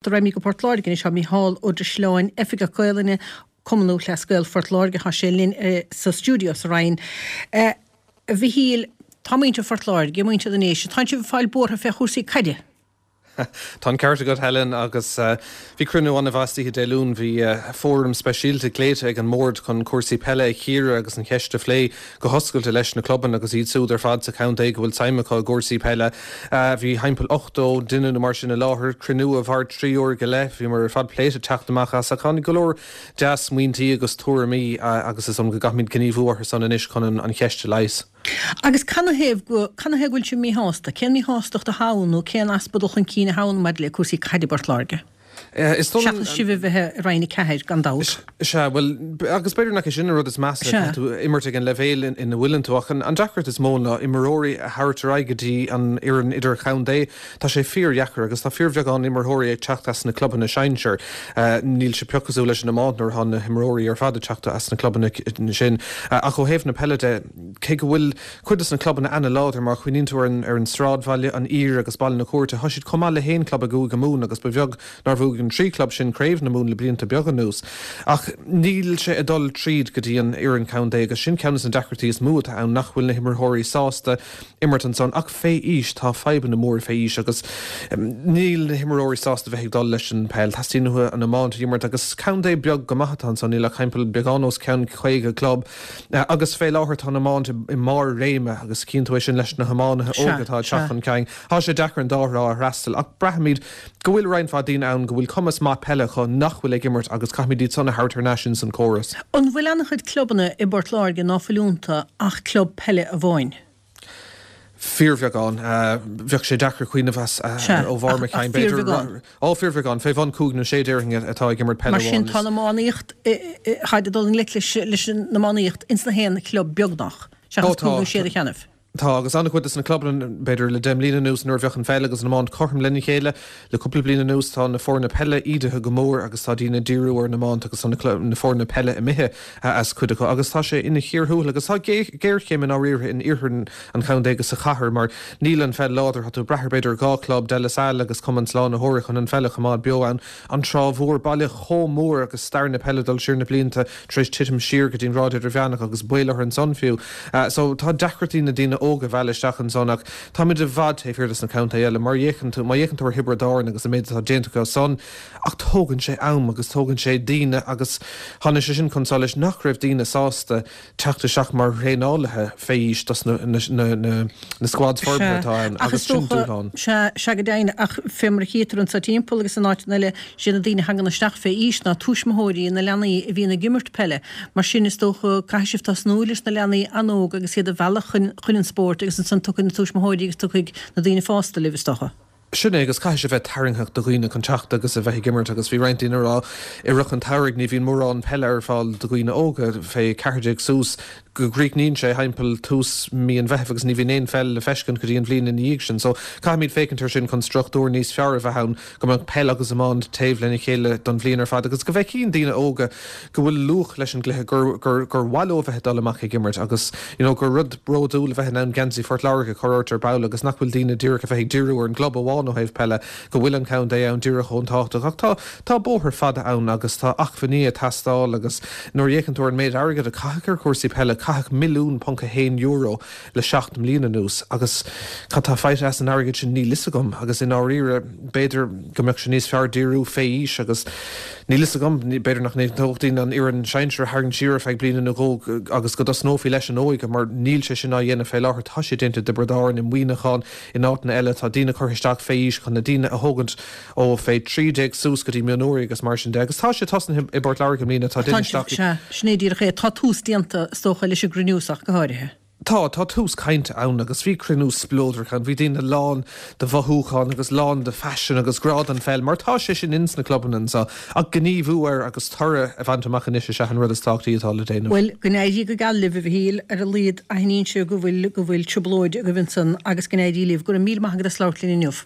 Raghaimid go Port Láirge anois. Tá Micheál Ó Drisleáin, Oifigeach Gaelainne, Cumann Lúthchleas Gael Phort Láirge, tá sé linn sa stiúideo sa Rinn. A Mhichíl, tá muintir Phort Láirge, muintir na nDéise, tánn sibh ag fáil buartha fé chúrsaí caide. Tá an ceart agat, Helen, agus bhí cruinniú an-mhaith istoíche Dé Luain. Bhí fóram speisialta glaoite ag an mBord chun cúrsaí peile a chíoradh agus an cheist a phlé. go hoscailte leis na clubanna agus iad siúd ar fad sa chontae go bhfuil suim acu i gcúrsaí peile. Bhí thimpeall 80 duine nó mar sin i láthair, cruinniú a mhair 3 uair go leith. Bhíomar ar fad pléite teacht amach as ach tháinig go leor dea-smaointí agus tuairimí agus is dóigh liom go gcaithfimid gníomhú orthu san anois chun an cheist a leigheas. Agus canathaobh go, canathaobh go bhfuil sibh míshásta? Cén mhíshástacht atá ann nó cén easpa dul chun cinn atá ann maidir le cúrsaí caide i bPort Láirge? Is dóigh liom. Seachas sibh a bheith i Roinn 4, gan dabht. Sea, bhuel, agus b'fhéidir nach é sin an rud is measa, Sea. caithfidh tú imirt ag an leibhéal ina bhfuileann tú, ach an deacracht is mó ná imreoirí a thabhairt ar aghaidh go dtí an fhoireann idirchontae. Tá sé fíordheacair agus tá fíorbheagán imreoirí ag teacht as na clubanna sinsir. Níl sé pioc cosúil leis an iomáint nuair atá na himreoirí ar fad ag teacht as na clubanna sin. Ach ó thaobh na peile de, cé go bhfuil cuid de na clubanna ana-láidir, má chuimhníonn tú ar an Sráidbhaile, an Fhír agus Baile na Cúirte, tá siad chomh maith le haon club i gCúige Mumhan agus ba bheag nár bhuaigh an 3 club sin Craobh na Mumhan le blianta beaga anuas. Ach níl sé ag dul tríd go dtí an fhoireann contae agus sin ceann de na deacrachtaí is mó atá ann, nach bhfuil na himreoirí sásta imirt ansan. Ach fé aois, tá fadhbanna móra fé aois agus níl na himreoirí sásta bheith ag dul leis an peil. Teastaíonn uathu an iomáint a imirt agus contae beag go maith atá ansan, níl ach thimpeall beagán os cionn 50 club. Agus fé láthair tá an iomáint i mbarr réime agus cíonn tú é sin leis na hiománaithe óga atá ag teacht chun cinn. Tá sé deacair an dá thrá a fhreastal ach braithimid go bhfuil roinnt mhaith daoine ann go bhfuil cumas maith peile acu nach bhfuil ag imirt agus caithfimid iad san a thabhairt thar n-ais ins an córas. An bhfuil an-chuid clubanna i bPort Láirge ná fuil iontu ach club peile amháin? Fíorbheagán. Bheadh sé deacair cuimhneamh as ó bharr mo chinn. B'fhéidir, ó, fíorbheagán. Fé bhun cúig nó sé déarfainn atá ag imirt peile amháin. Mar sin tá an iománaíocht, táid ag dul i ngleic leis an iománaíocht ins na haon chlub beagnach, seachas cúig nó sé de cheannaibh. Tá, agus an-chuid de na clubanna, b'fhéidir le deich mbliana anuas nuair a bheadh an pheil agus an iomáint cothrom lena chéile, le cúpla bliain anuas tá na foirne peile ídithe go mór agus tá daoine ag díriú ar an iomáint agus tá na foirne peile imithe as cuid acu agus tá sé ina chíor thuathail agus tá géarchéim i ndáiríre in iarthar an chontae agus sa chathair mar níl an pheil láidir, tá tú ag brath ar b'fhéidir dhá chlub, De La Salle agus Cumann Slánaitheora chun an pheil a choimeád beo ann. An Trá Mhór, baile chomh mór agus stair na peile ag dul siar na blianta tar éis titim siar go dtí an grád idirmheánach agus baol orthu ansan fiú. So tá deacrachtaí na daoine óga a mhealladh isteach ansan ach táimid i bhfad taobh thiar des na contaetha eile mar fhéachann tú, má fhéachann tú ar Thiobraid Árann agus an méid atá déanta acu san ach tógann sé am agus tógann sé daoine agus tháinig sé sin chun solais nach raibh daoine sásta teacht isteach mar thraenálaithe fé aois dos na squads forbartha atá ann agus sin dúshlán. Sea, sea go deimhin, ach fé mar a chítear anso timpeall agus in áiteanna eile, siad na daoine a thagann isteach fé aois ná tuismitheoirí na leanaí a bhíonn ag imirt peile. Mar sin, is dócha, caithfidh sibh tosnú leis na leanaí an-óg agus iad a mhealladh chun chun an spóirt agus ansan tiocfaidh na tuismitheoirí agus tiocfaidh na daoine fásta libh, is dócha. Sin é, agus caithfidh sé bheith tarraingtheach do dhaoine chun teacht agus a bheith ag imirt agus bhí roinnt daoine ag rá i rith an tsamhraidh ní bhíonn mórán peile ar fáil do dhaoine óga fé 14 suas go gcríochnaíonn sé thimpeall tús mí an Mheithimh agus ní bhíonn aon pheil le feiscint go dtí an bhliain ina dhiaidh sin. So caithfimid féachaint ar sin chun struchtúr níos fearr a bheith ann go mbeadh peil agus iomáint taobh lena chéile don bhliain ar fad agus go bhfeicfidh daoine óga go bhfuil luach leis an gcluiche, gur, gur, gur mhaith leo a bheith ag dul amach ag imirt agus you know gur rud bródúil a bheith in ann geansaí Phort Láirge a chur ort ar ball agus nach bhfuil daoine díreach a bheith ag díriú ar an gclub amháin ó thaobh peile, go bhfuil an contae ann díreach chomh tábhachtach. Ach tá, tá bóthar fada ann agus tá acmhainní ag teastáil agus nuair a fhéachann tú ar an méid airgid a caitheadh ar chúrsaí peile, caitheadh milliún ponc a haon euro le seacht mbliana anuas agus cad tá faighte as an airgead sin níl fhios agam agus i ndáiríre b'fhéidir go mbeadh sé níos fearr díriú fé aois agus níl fhios agam, b'fhéidir nach n-aontódh daoine an fhoireann sinsir a tharraingt siar ar feadh bliana nó dhó agus go dtosnófaí leis an óige mar níl sé sin á dhéanamh fé láthair, tá sé déanta i dTiobraid Árann, i Muineachán, in áiteanna eile, tá daoine curtha isteach fé aois chun na daoine a thógaint ó fé 13 suas go dtí mionúirí agus mar sin de agus tá sé tosnaithe i bPort Láirge i mbliana, tá duine isteach. Sea, sin é díreach é. Tá tús déanta, is dócha, leis an gcruinniú so ach go háirithe. Tá, tá tús cainte ann agus bhí cruinniú spleodrach ann, bhí daoine lán de mhothúcháin agus lán de phaisean agus grá don pheil mar tá sé sin ins na clubanna anseo ach gníomhú air agus toradh a bhaint amach anois is ea an rud is tábhachtaí atá le déanamh. Bhuel, go n-éirí go geal libh, a Mhichíl, ar a laghad aithníonn sibh go bhfuil, go bhfuil trioblóid agaibh ansan agus go n-éirí libh. Go raibh míle maith agat as labhairt linn inniu.